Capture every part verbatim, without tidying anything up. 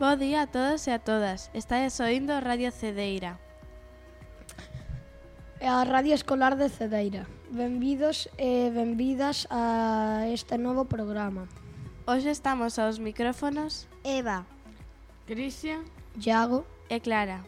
Bo día a todos e a todas. Estáis oíndo Radio Cedeira. É a Radio Escolar de Cedeira. Benvidos e benvidas a este novo programa. Hoxe estamos aos micrófonos Eva, Cristian, Iago e Clara.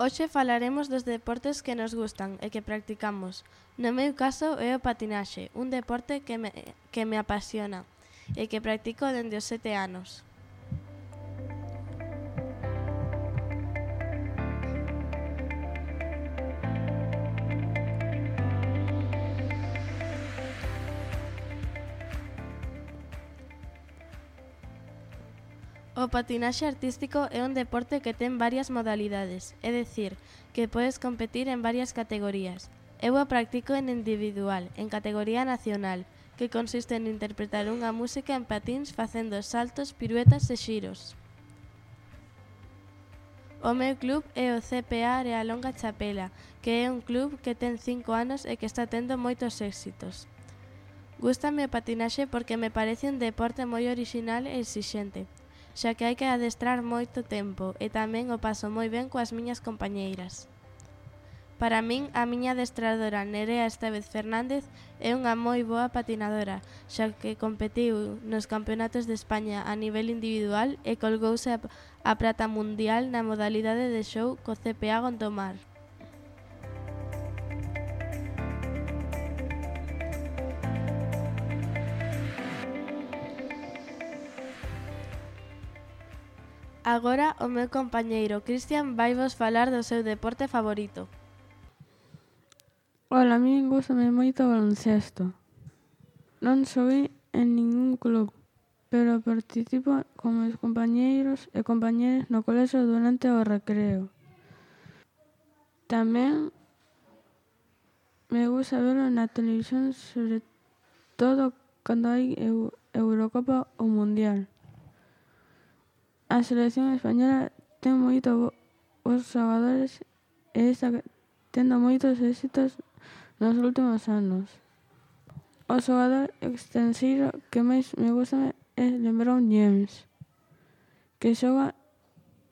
Hoxe falaremos dos deportes que nos gustan e que practicamos. No meu caso é o patinaxe, un deporte que me, que me apasiona e que practico dende os sete anos. O patinaxe artístico é un deporte que ten varias modalidades, é dicir, que podes competir en varias categorías. Eu o practico en individual, en categoría nacional, que consiste en interpretar unha música en patíns facendo saltos, piruetas e xiros. O meu club é o C P A Arealonga Chapela, que é un club que ten cinco anos e que está tendo moitos éxitos. Gústame o patinaxe porque me parece un deporte moi orixinal e exixente, xa que hai que adestrar moito tempo e tamén o paso moi ben coas miñas compañeiras. Para min, a miña adestradora Nerea Estevez Fernández é unha moi boa patinadora, xa que competiu nos campeonatos de España a nivel individual e colgouse a, a prata mundial na modalidade de show co C P A Gondomar. Agora o meu compañeiro Cristian vai vos falar do seu deporte favorito. Ola, a min gústame moito o baloncesto. Non xoguei en ningún club, pero participo con meus compañeiros e compañeras no colexio durante o recreo. Tamén me gusta verlo na televisión, sobre todo cando hai Eurocopa ou Mundial. A selección española ten moito bons xogadores e está tendo moitos éxitos nos últimos anos. O xogador extranxeiro que máis me gusta é LeBron James, que xoga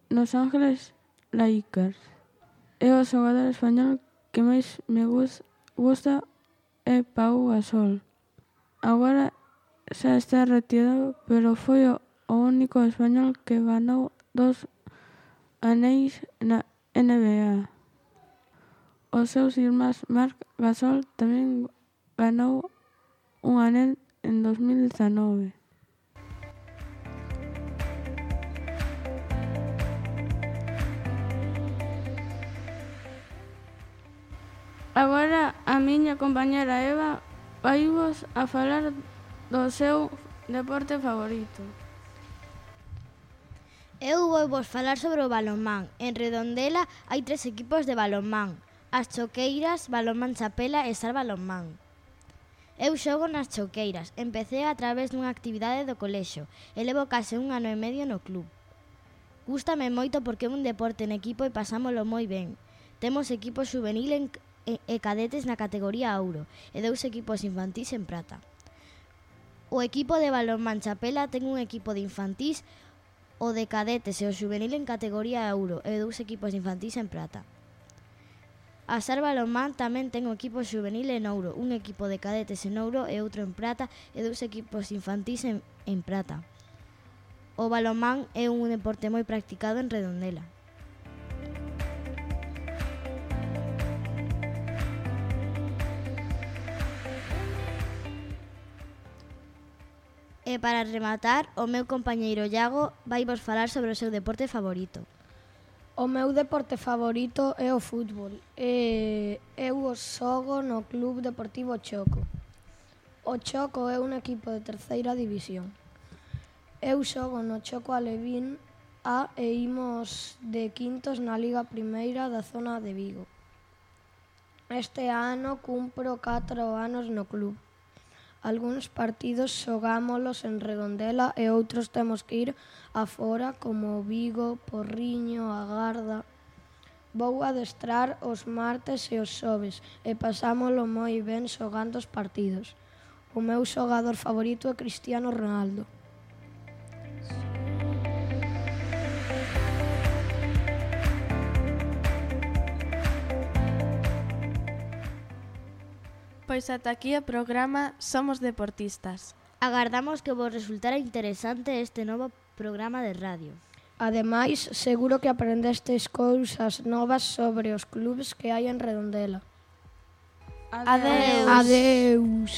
nos Ángeles Lakers. E o xogador español que máis me gusta é Pau Gasol. Agora xa está retirado, pero foi o o único español que ganou dos anéis na N B A. Os seus irmáns Marc Gasol tamén ganou un anel en dos mil dezanove. Agora a miña compañera Eva vai vos a falar do seu deporte favorito. eu vou vos falar sobre o balonmán. En Redondela hai tres equipos de balonmán: as Choqueiras, Balonmán Chapela e Sar Balonmán. Eu xogo nas Choqueiras. Empecé a través dunha actividade do colexio e levo case un ano e medio no club. Gústame moito porque é un deporte en equipo e pasámolo moi ben. Temos equipos juvenil en, e, e cadetes na categoría ouro e dous equipos infantís en prata. O equipo de Balonmán Chapela ten un equipo de infantís, o de cadetes e o juvenil en categoría euro e dous equipos infantís en prata. A Sar Balonmán tamén ten o equipo juvenil en ouro, un equipo de cadetes en ouro e outro en prata e dous equipos infantís en, en prata. O balonmán é un deporte moi practicado en Redondela. E para rematar, o meu compañeiro Iago vai vos falar sobre o seu deporte favorito. O meu deporte favorito é o fútbol e eu o xogo no Club Deportivo Choco. O Choco é un equipo de terceira división. Eu xogo no Choco Alevín A e imos de quintos na Liga Primeira da zona de Vigo. Este ano cumpro catro anos no club. Algúns partidos xogámolos en Redondela e outros temos que ir afora, como Vigo, Porriño, A Garda. Vou adestrar os martes e os xoves e pasámolo moi ben xogando os partidos. O meu xogador favorito é Cristiano Ronaldo. Pois ata aquí o programa Somos Deportistas. Agardamos que vos resultara interesante este novo programa de radio. Ademais, seguro que aprendestes cousas novas sobre os clubes que hai en Redondela. Adeus. Adeus.